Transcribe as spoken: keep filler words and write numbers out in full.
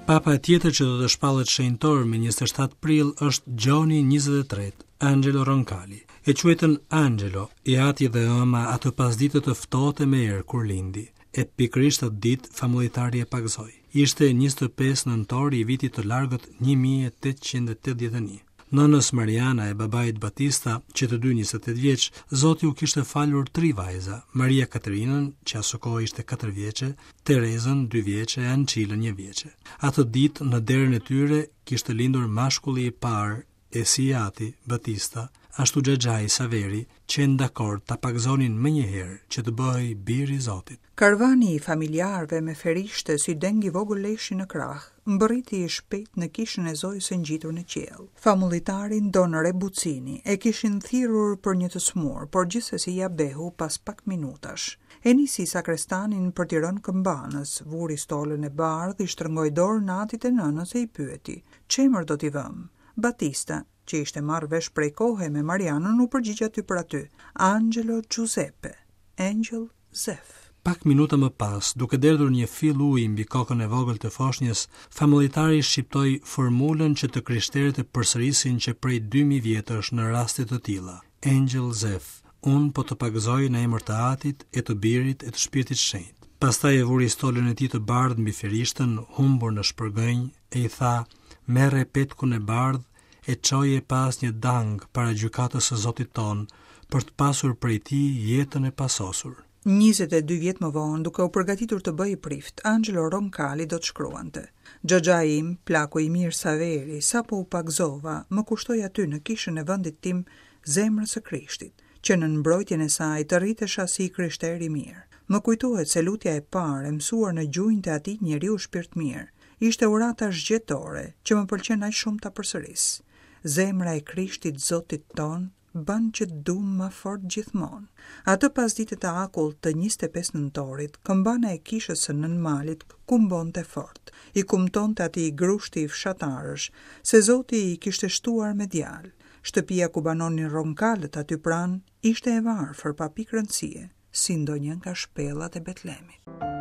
Papa tjetër që do të shpallet shenjtor me njëzet e shtatë prill është Gjoni njëzet e tretë, Angelo Roncalli. E quajtën Angelo, i ati dhe ëma atë pasdite të ftohtë me erë kur lindi. E pikërisht atë ditë famullitari e pagëzoi. Ishte njëzet e pesë nëntori i vitit të largët një mijë e tetëqind e tetëdhjetë e një. Nënës Mariana e babait Batista, që të dy njëzet e tetë vjeç, Zoti u kishte falur tri vajza, Maria Katerinën, që asokohe ishte katër vjeçe, Terezën dy vjeçe e Ançilën një vjeçe. Atë ditë në derën e tyre kishte lindur mashkulli i parë e si i ati, Batista, ashtu xhaxhai Saveri, qenë dakord ta pagëzonin më një herë që të bëhej bir i Zotit. Karvani i familjarëve me ferishte si deng i vogël leshi në krah, mbërriti i shpejt në kishën e Zojës së ngjitur në qiell. Famullitarin Don Rebucini e kishin thirrur për një të smur, por gjithsesi ja behu pas pak minutash. E nisi sakrestanin për t'i rënë këmbanës, vuri stolën e bardhë, i shtrëngoi dorën atit e nënës e i pyeti: Ç'emër do t'i vëm? Batista, që ishte marrë vesh prej kohe me Marianën, u përgjigj aty për aty: Angelo Giuseppe, Angel Zef. Pak minuta më pas, duke derdhur një fill uji mbi kokën e vogël të foshnjës, famullitari shqiptoi formulën që të krishterët e përsërisin që prej dy mijë vjetësh në raste të tilla. Angel Zef, unë po të pagëzoj në emër të Atit e të Birit e të Shpirtit Shenjt. Pastaj e vuri stolën e tij të bardhë mbi ferishtën, humbur në shpërgënj, e i tha: Merre petkun e bardhë e çoje pas një dang para gjykatës së Zotit ton, për të pasur prej tij jetën e pasosur. Njëzet e dy vjet më vonë, duke u përgatitur të bëhej prift, Angelo Roncalli do të shkruante: Xhaxhai im, plaku i mirë Saveri, sapo u pagëzova, më kushtoi aty në kishën e vendit tim zemrës së Krishtit, që në mbrojtjen e saj të rritesha si i krishter i mirë. Më kujtohet se lutja e parë e mësuar në gjunjët e atij njeriu shpirtmirë, ishte urata zgjetore që më pëlqen aq shumë ta përsëris. Zemra e Krishtit Zotit ton bën që të dum ma fort gjithmonë. Atë pasdite të akullt të njëzet e pesë nëntorit, këmbana e kishës së Nënmalit kumbonte fort. I kumtonte atij grushti fshatarësh se Zoti i kishte shtuar me djalë. Shtëpia ku banonin Ronkalët aty pranë ishte e varfër pa pikë rëndësie, si ndonjë nga shpellat e Betlemit.